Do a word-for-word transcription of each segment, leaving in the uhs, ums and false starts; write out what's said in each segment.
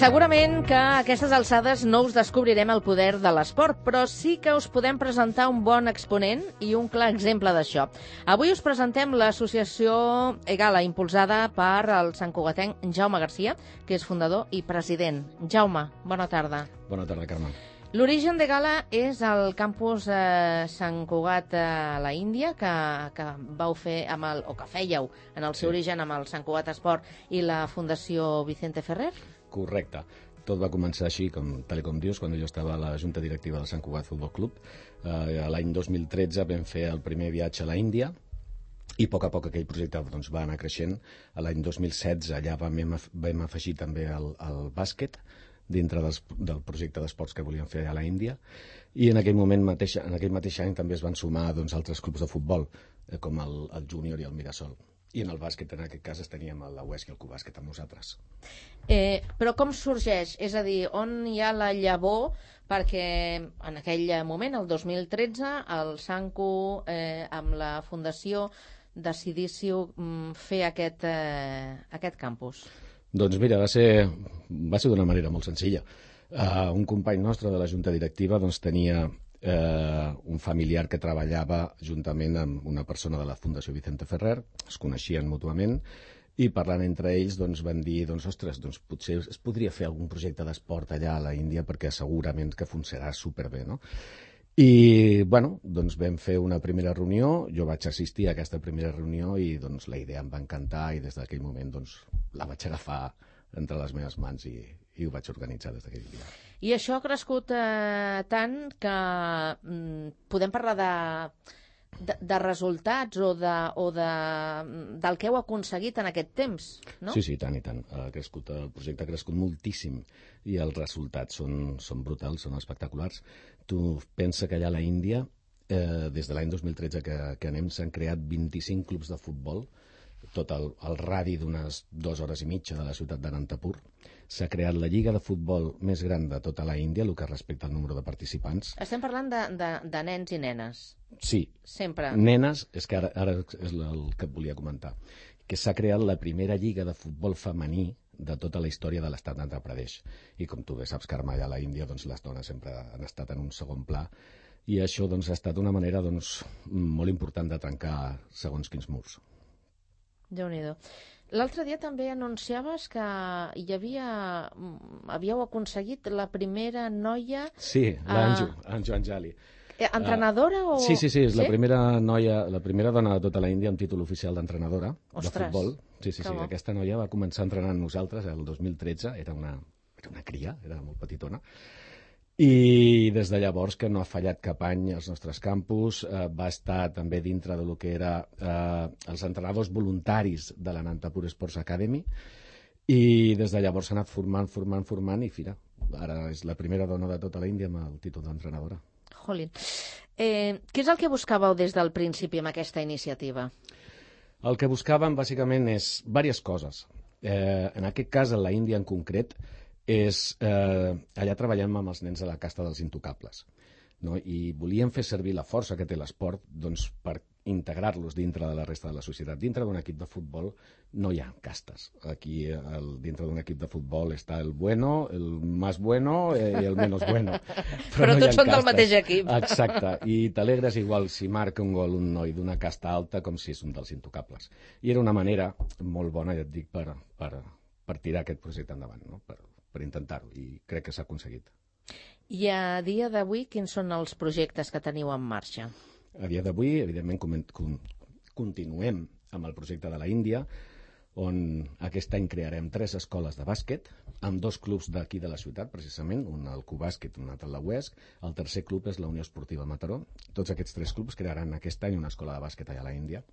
Segurament que a aquestes alçades no us descobrirem el poder de l'esport, però sí que us podem presentar un bon exponent i un clar exemple d'això. Avui us presentem l'associació EGALA, impulsada per el santcugatenc Jaume Garcia, que és fundador i president. Jaume, bona tarda. Bona tarda, Carme. L'origen d'EGALA és el campus eh, Sant Cugat a la Índia, que, que vau fer amb el, o que fèieu en el seu sí. origen amb el Sant Cugat Esport i la Fundació Vicente Ferrer? Correcte. Tot va començar així, com, tal com dius, quan jo estava a la Junta Directiva del Sant Cugat Futbol Club. Eh, L'any dos mil tretze vam fer el primer viatge a la Índia i a poc a poc aquell projecte doncs, va anar creixent. L'any dos mil setze ja vam, vam afegir també el, el bàsquet dintre dels, del projecte d'esports que volíem fer a la Índia, i en aquell moment mateix, en aquell mateix any també es van sumar doncs, altres clubs de futbol, eh, com el, el Júnior i el Mirasol. I en el bàsquet, en aquest cas, teníem la U E S C i el Cubàsquet amb nosaltres. Eh, però com sorgeix? És a dir, on hi ha la llavor? Perquè en aquell moment, el dos mil tretze, el Sancu, eh, amb la Fundació, decidíssiu mm, fer aquest, eh, aquest campus. Doncs mira, va ser, va ser d'una manera molt senzilla. Uh, un company nostre de la Junta Directiva doncs, tenia uh, un familiar que treballava juntament amb una persona de la Fundació Vicente Ferrer, es coneixien mútuament, i parlant entre ells doncs, van dir, doncs, ostres, doncs, potser es podria fer algun projecte d'esport allà a la Índia perquè segurament que funcionarà superbé, no? I, bueno, doncs vam fer una primera reunió, jo vaig assistir a aquesta primera reunió i doncs la idea em va encantar i des d'aquell moment doncs la vaig agafar entre les meves mans i, i ho vaig organitzar des d'aquell dia. I això ha crescut eh, tant que mm, podem parlar de, de, de resultats o, de, o de, del que heu aconseguit en aquest temps, no? Sí, sí, tant i tant. Ha crescut, el projecte ha crescut moltíssim i els resultats són, són brutals, són espectaculars. Tu pensa que allà a la Índia, eh, des de l'any dos mil tretze que, que anem, s'han creat vint-i-cinc clubs de futbol, tot el, el radi d'unes dues hores i mitja de la ciutat d'Anantapur. S'ha creat la lliga de futbol més gran de tota la Índia, el que respecta al número de participants. Estem parlant de, de, de nens i nenes. Sí. Sempre. Nenes, és que ara, ara és el que et volia comentar, que s'ha creat la primera lliga de futbol femení de tota la història de l'estat d'Andhra Pradesh. I com tu bé saps, Carme, allà a la Índia doncs, les dones sempre han estat en un segon pla i això doncs, ha estat una manera doncs, molt important de trencar segons quins murs. Déu-n'hi-do. L'altre dia també anunciaves que hi havia, havíeu aconseguit la primera noia... Sí, l'Anju, uh, Anju Anjali. Entrenadora o...? Sí, sí, sí, és sí? la primera noia, la primera dona de tota la Índia amb títol oficial d'entrenadora de futbol. Sí, sí, sí, aquesta noia va començar a entrenar amb nosaltres el dos mil tretze, era una, era una cria, era molt petitona, i des de llavors que no ha fallat cap any als nostres campus, eh, va estar també dintre del que era eh, els entrenadors voluntaris de l'Anantapur Sports Academy, i des de llavors s'ha anat formant, formant, formant, i fira, ara és la primera dona de tota la Índia amb el títol d'entrenadora. Jolín. Eh, què és el que buscàveu des del principi amb aquesta iniciativa? El que buscàvem, bàsicament, és diverses coses. Eh, en aquest cas, a la Índia en concret, és, eh, allà treballem amb els nens de la casta dels intocables, no? I volíem fer servir la força que té l'esport doncs, per integrar-los dintre de la resta de la societat. Dintre d'un equip de futbol no hi ha castes. Aquí, el, dintre d'un equip de futbol està el bueno, el más bueno eh, i el menos bueno. Però, Però no tots són del mateix equip. Exacte. I t'alegres igual si marca un gol un noi d'una casta alta com si és un dels intocables. I era una manera molt bona, ja et dic, per, per, per tirar aquest projecte endavant, no? per, per intentar-ho. I crec que s'ha aconseguit. I a dia d'avui, quins són els projectes que teniu en marxa? A dia d'avui, evidentment, continuem amb el projecte de la Índia, on aquest any crearem tres escoles de bàsquet, amb dos clubs d'aquí de la ciutat, precisament, un el Cubàsquet, un altre la U E S C. El tercer club és la Unió Esportiva Mataró. Tots aquests tres clubs crearan aquest any una escola de bàsquet allà a la Índia.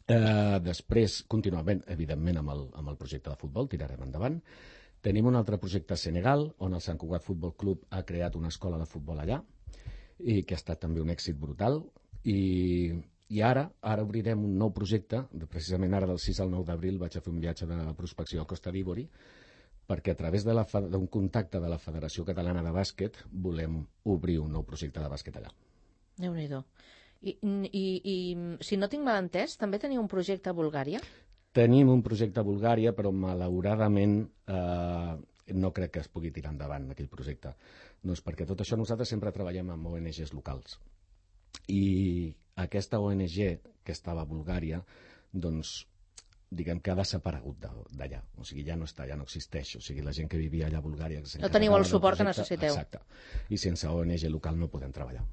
Eh, després, continuem, evidentment, amb el, amb el projecte de futbol, tirarem endavant. Tenim un altre projecte a Senegal, on el Sant Cugat Futbol Club ha creat una escola de futbol allà, i que ha estat també un èxit brutal, i, i ara ara obrirem un nou projecte, precisament ara del sis al nou d'abril vaig a fer un viatge de prospecció a Costa d'Ivori, perquè a través d'un contacte de la Federació Catalana de Bàsquet volem obrir un nou projecte de bàsquet allà. Déu-n'hi-do. I, i, I si no tinc mal entès, també teniu un projecte a Bulgària? Tenim un projecte a Bulgària, però malauradament eh, no crec que es pugui tirar endavant aquell projecte. Doncs perquè tot això nosaltres sempre treballem amb O N Ges locals. I aquesta O N G que estava a Bulgària, doncs, diguem que ha desaparegut d'allà. O sigui, ja no està, ja no existeix. O sigui, la gent que vivia allà a Bulgària... No teniu el suport que necessiteu. Exacte. I sense O N G local no podem treballar.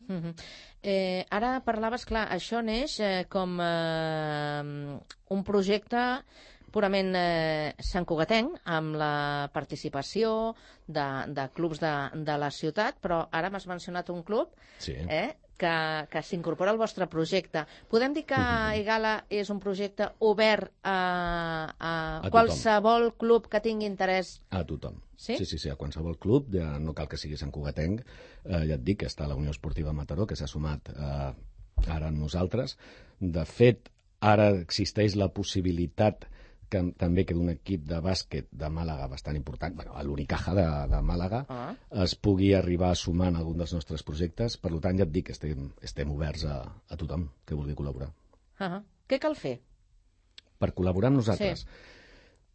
Uh -huh. eh, ara parlaves, clar, això neix eh, com eh, un projecte purament eh, santcugatenc, amb la participació de, de clubs de, de la ciutat, però ara m'has mencionat un club sí. eh, que, que s'incorpora al vostre projecte. Podem dir que Egala és un projecte obert a, a, a qualsevol club que tingui interès? A tothom. Sí? Sí, sí, sí, a qualsevol club, ja no cal que sigui santcugatenc, eh, ja et dic que està la Unió Esportiva Mataró, que s'ha sumat eh, ara amb nosaltres. De fet, ara existeix la possibilitat que també que d'un equip de bàsquet de Màlaga bastant important, bueno, a l'Unicaja de, de Màlaga, ah. es pugui arribar a sumar en algun dels nostres projectes. Per tant, ja et dic que estem, estem oberts a, a tothom que vulgui col·laborar. Ah. Què cal fer? Per col·laborar amb nosaltres? Sí.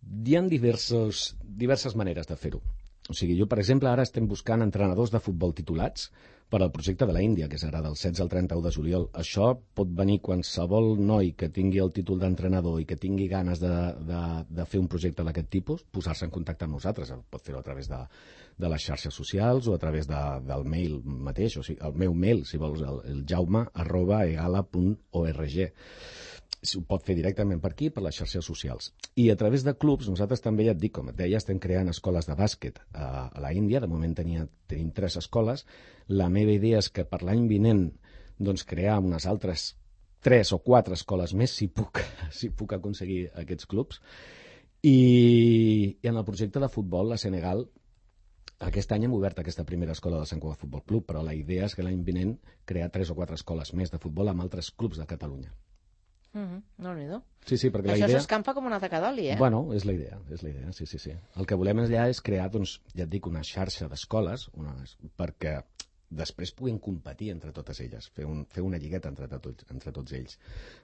Hi ha diversos, diverses maneres de fer-ho. O sigui, jo, per exemple, ara estem buscant entrenadors de futbol titulats per al projecte de la Índia, que és ara del setze al trenta-u de juliol. Això pot venir qualsevol noi que tingui el títol d'entrenador i que tingui ganes de, de, de fer un projecte d'aquest tipus, posar-se en contacte amb nosaltres. Pot fer-ho a través de, de les xarxes socials o a través de, del mail mateix. O sigui, el meu mail, si vols, el, el jaume arroba egala punt org. Ho pot fer directament per aquí, per les xarxes socials. I a través de clubs, nosaltres també, ja et dic, com et deia, estem creant escoles de bàsquet a, a la Índia. De moment tenia, tenim tres escoles. La meva idea és que per l'any vinent doncs, crear unes altres tres o quatre escoles més, si puc, si puc aconseguir aquests clubs. I, I en el projecte de futbol, a Senegal, aquest any hem obert aquesta primera escola del Sant Cugat Futbol Club, però la idea és que l'any vinent crear tres o quatre escoles més de futbol amb altres clubs de Catalunya. Mm-hmm. No-n'hi-do. Sí, sí, perquè Això la idea... s'escampa com una taca d'oli, eh? Bueno, és la idea, és la idea, sí, sí, sí. El que volem allà és crear, doncs, ja et dic, una xarxa d'escoles una... perquè després puguin competir entre totes elles, fer, un, fer una lligueta entre, tots, entre tots ells.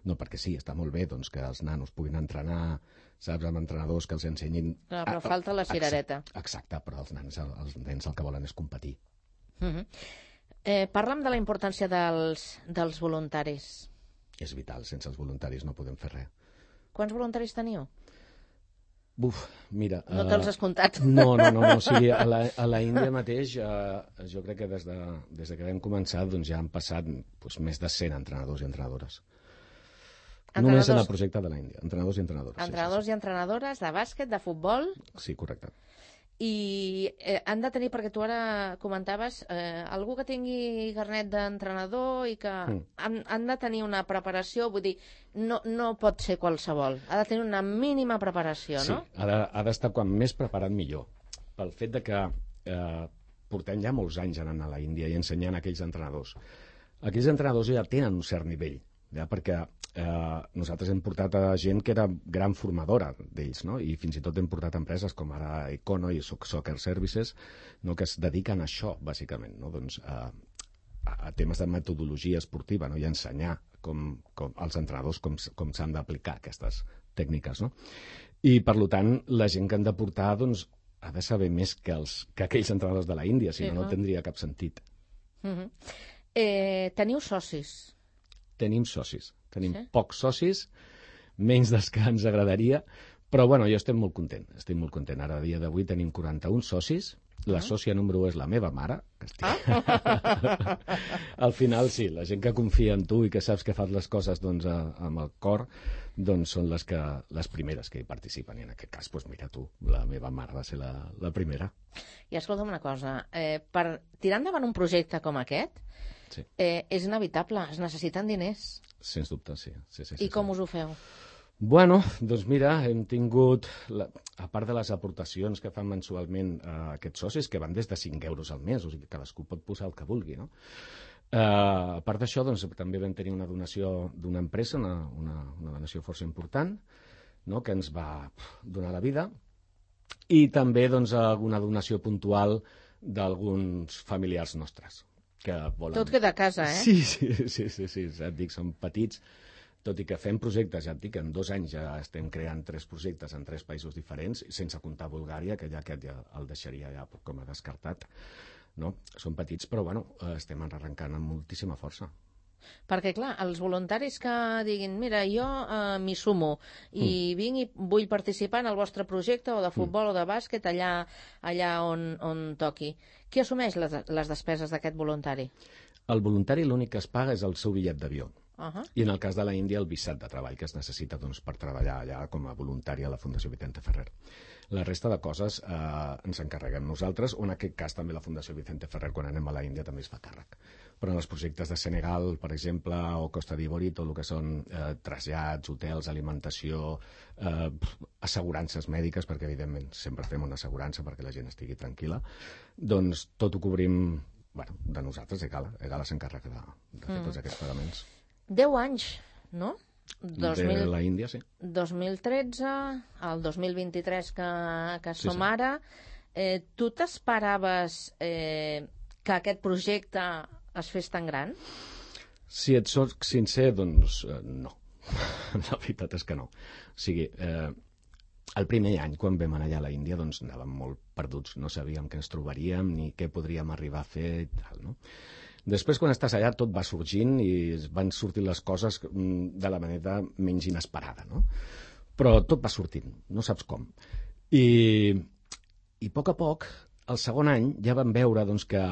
No, perquè sí, està molt bé doncs, que els nanos puguin entrenar, saps, amb entrenadors que els ensenyin... No, però falta la cirereta. Exacte, exacte, però els nens, els nens el que volen és competir. Mm-hmm. eh, parla'm de la importància dels, dels voluntaris. És vital, sense els voluntaris no podem fer res. Quants voluntaris teniu? Buf, mira... No te'ls has comptat. No, no, no, no. O sigui, a la, a la Índia mateix, eh, jo crec que des de, des de que vam començar doncs ja han passat doncs, més de cent entrenadors i entrenadores. Entrenadors... Només en el projecte de la Índia. Entrenadors i entrenadores. Entrenadors sí, sí, sí. i entrenadores de bàsquet, de futbol... Sí, correcte. I eh, han de tenir, perquè tu ara comentaves, eh, algú que tingui carnet d'entrenador i que mm. han, han de tenir una preparació, vull dir, no, no pot ser qualsevol, ha de tenir una mínima preparació, sí, no? Sí, ha d'estar quan més preparat millor, pel fet de que eh, portem ja molts anys anant a la Índia i ensenyant a aquells entrenadors. Aquells entrenadors ja tenen un cert nivell, ja, perquè eh, nosaltres hem portat a gent que era gran formadora d'ells, no? I fins i tot hem portat empreses com ara Econo i Soccer Services, no? Que es dediquen a això, bàsicament, no? Doncs, a, a temes de metodologia esportiva, no? I a ensenyar com, com, als entrenadors com, com s'han d'aplicar aquestes tècniques, no? I, per tant, la gent que han de portar doncs, ha de saber més que, els, que aquells entrenadors de la Índia, si sí, no, no tindria cap sentit. Uh-huh. eh, teniu socis? Tenim socis. Tenim sí? pocs socis, menys dels que ens agradaria, però bueno, jo estic molt content. Estic molt content. Ara, a dia d'avui, tenim quaranta-un socis. La uh-huh. sòcia número un és la meva mare. Que estic... ah? Al final, sí, la gent que confia en tu i que saps que fas les coses doncs, a, amb el cor, doncs són les, que, les primeres que hi participen. I en aquest cas, doncs, mira tu, la meva mare va ser la, la primera. I escolta'm una cosa, eh, per tirar endavant un projecte com aquest, sí. eh, és inevitable, es necessiten diners. Sens dubte, sí. sí, sí, I sí com sí. us ho feu? Bueno, doncs mira, hem tingut, la, a part de les aportacions que fan mensualment eh, aquests socis, que van des de cinc euros al mes, o sigui que cadascú pot posar el que vulgui, no? Eh, a part d'això, doncs, també vam tenir una donació d'una empresa, una, una, una donació força important, no?, que ens va donar la vida, i també doncs, alguna donació puntual d'alguns familiars nostres. Que volen... Tot queda a casa, eh? Sí, sí, sí, sí, sí, et dic, són petits, tot i que fem projectes, ja et dic, en dos anys ja estem creant tres projectes en tres països diferents, sense comptar Bulgària, que ja aquest ja el deixaria ja com a descartat. No? Són petits, però bueno, estem arrencant amb moltíssima força. Perquè, clar, els voluntaris que diguin mira, jo eh, m'hi sumo i mm. vinc i vull participar en el vostre projecte o de futbol mm. o de bàsquet allà, allà on, on toqui. Qui assumeix les, les despeses d'aquest voluntari? El voluntari l'únic que es paga és el seu bitllet d'avió. Uh-huh. I en el cas de la Índia el visat de treball que es necessita doncs, per treballar allà com a voluntari a la Fundació Vicente Ferrer. La resta de coses eh, ens encarreguem nosaltres, o en aquest cas també la Fundació Vicente Ferrer quan anem a la Índia també es fa càrrec. Però en els projectes de Senegal, per exemple, o Costa d'Ivori, tot el que són eh, trasllats, hotels, alimentació, eh, assegurances mèdiques, perquè evidentment sempre fem una assegurança perquè la gent estigui tranquil·la, doncs tot ho cobrim bueno, de nosaltres, Egala. Egala s'encarrega de, de fer mm. tots aquests pagaments. Deu anys, no? dos mil... De la Índia, sí. dos mil tretze, el dos mil vint-i-tres que, que som sí, sí. ara. Eh, tu t'esperaves eh, que aquest projecte es fes tan gran? Si et soc sincer, doncs eh, no. La veritat és que no. O sigui, eh, el primer any, quan vam anar allà a la Índia, doncs anàvem molt perduts. No sabíem què ens trobaríem ni què podríem arribar a fer i tal, no? Després, quan estàs allà, tot va sorgint i van sortint les coses de la manera menys inesperada, no? Però tot va sortint, no saps com. I, i a poc a poc, el segon any, ja vam veure doncs, que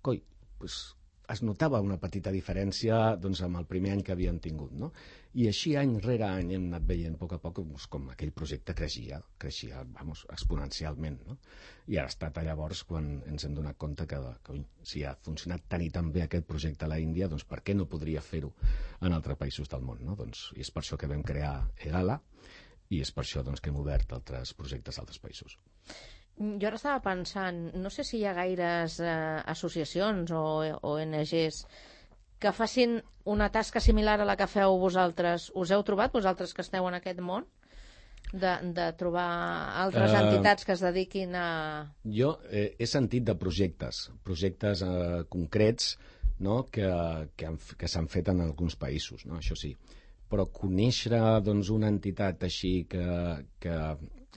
coi, doncs, es notava una petita diferència doncs, amb el primer any que havíem tingut, no? I així, any rere any, hem anat veient a poc a poc doncs, com aquell projecte creixia, creixia vamos, exponencialment, no? I ara ha estat llavors quan ens hem donat compte que, que ui, si ha funcionat tan i tan bé aquest projecte a la Índia, doncs per què no podria fer-ho en altres països del món, no? Doncs, i és per això que vam crear Egala i és per això doncs, que hem obert altres projectes a altres països. Jo ara estava pensant, no sé si hi ha gaires eh, associacions o O N Ges que facin una tasca similar a la que feu vosaltres. Us heu trobat, vosaltres que esteu en aquest món, de, de trobar altres uh, entitats que es dediquin a... Jo eh, he sentit de projectes, projectes eh, concrets, no?, que, que, han, que s'han fet en alguns països, no?, això sí. Però conèixer doncs, una entitat així que... que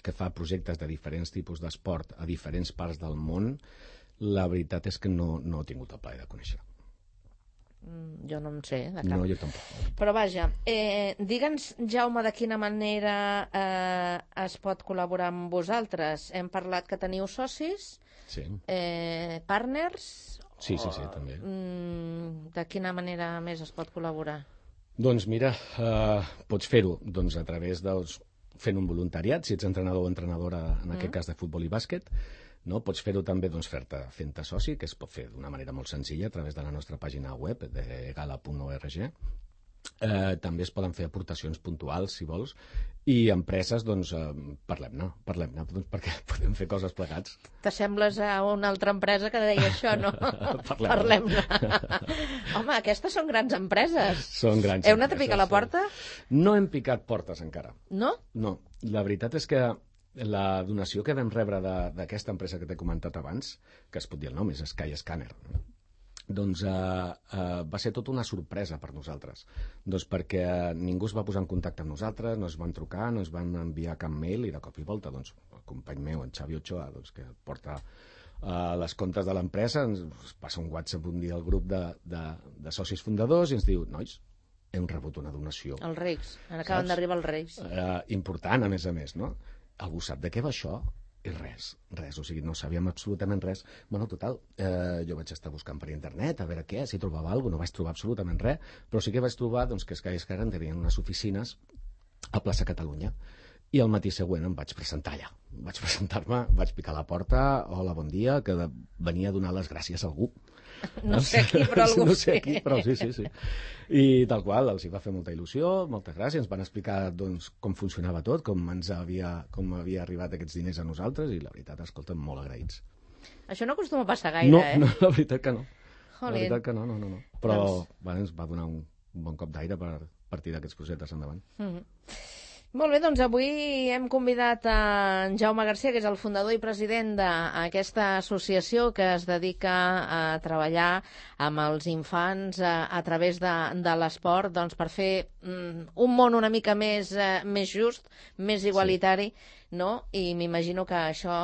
que fa projectes de diferents tipus d'esport a diferents parts del món, la veritat és que no, no he tingut el plaer de conèixer. Mm, jo no en sé, de cap. No, jo tampoc. Però vaja, eh, digue'ns, Jaume, de quina manera eh, es pot col·laborar amb vosaltres? Hem parlat que teniu socis, sí. eh, partners... Sí, sí, sí, també. Mm, de quina manera més es pot col·laborar? Doncs mira, eh, pots fer-ho doncs, a través dels... fent un voluntariat, si ets entrenador o entrenadora, en aquest mm. cas de futbol i bàsquet, no? Pots fer-ho també doncs, fer-te fent-te soci, que es pot fer d'una manera molt senzilla a través de la nostra pàgina web de egala punt org. Eh, també es poden fer aportacions puntuals, si vols, i empreses, doncs, eh, parlem-ne, parlem-ne, doncs, perquè podem fer coses plegats. T'assembles a una altra empresa que deia això, no? Parlem-ne. Parlem Home, aquestes són grans empreses. Són grans Heu anat a picar la porta? No hem picat portes encara. No? No. La veritat és que la donació que vam rebre d'aquesta empresa que t'he comentat abans, que es pot dir el nom, és Sky Scanner, doncs eh, eh, va ser tota una sorpresa per nosaltres, doncs perquè ningú es va posar en contacte amb nosaltres, no es van trucar, no es van enviar cap mail, i de cop i volta doncs, el company meu, en Xavi Ochoa, doncs, que porta eh, les comptes de l'empresa, ens passa un WhatsApp un dia al grup de, de, de socis fundadors i ens diu, nois, hem rebut una donació. Els Reis, acaben d'arribar els Reis. Eh, important, a més a més, no? Algú sap de què va això? I res, res, o sigui, no sabíem absolutament res. Bueno, total, eh, jo vaig estar buscant per internet a veure què, si trobava alguna cosa, no vaig trobar absolutament res, però sí que vaig trobar doncs, que Sky Scanner tenien unes oficines a plaça Catalunya, i el matí següent em vaig presentar allà. Vaig presentar-me, vaig picar a la porta, hola, bon dia, que venia a donar les gràcies a algú. No sé qui, però algú no sé qui, però sí, sí, sí. I tal qual, els hi va fer molta il·lusió, moltes gràcies, ens van explicar doncs, com funcionava tot, com ens havia, com havia arribat aquests diners a nosaltres, i la veritat, escolta'm, molt agraïts. Això no acostuma a passar gaire, no, eh? No, la veritat que no. Jolín. La veritat que no, no, no. no. Però doncs... bueno, ens va donar un bon cop d'aire per, per tirar aquests projectes endavant. Mm-hmm. Molt bé, doncs avui hem convidat a en Jaume Garcia, que és el fundador i president d'aquesta associació que es dedica a treballar amb els infants a, a través de, de l'esport, doncs per fer mm, un món una mica més, eh, més just, més igualitari, sí. No? I m'imagino que això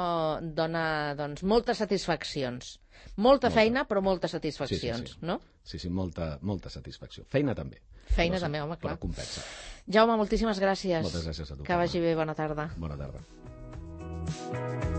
dona doncs, moltes satisfaccions. Molta, molta feina, però moltes satisfaccions, sí, sí, sí. no? Sí, sí, molta, molta satisfacció. Feina també. Feina però, també, home, clar. Però compensa. Jaume, moltíssimes gràcies. Moltes gràcies a tu. Que vagi bé, bona tarda. Bona tarda.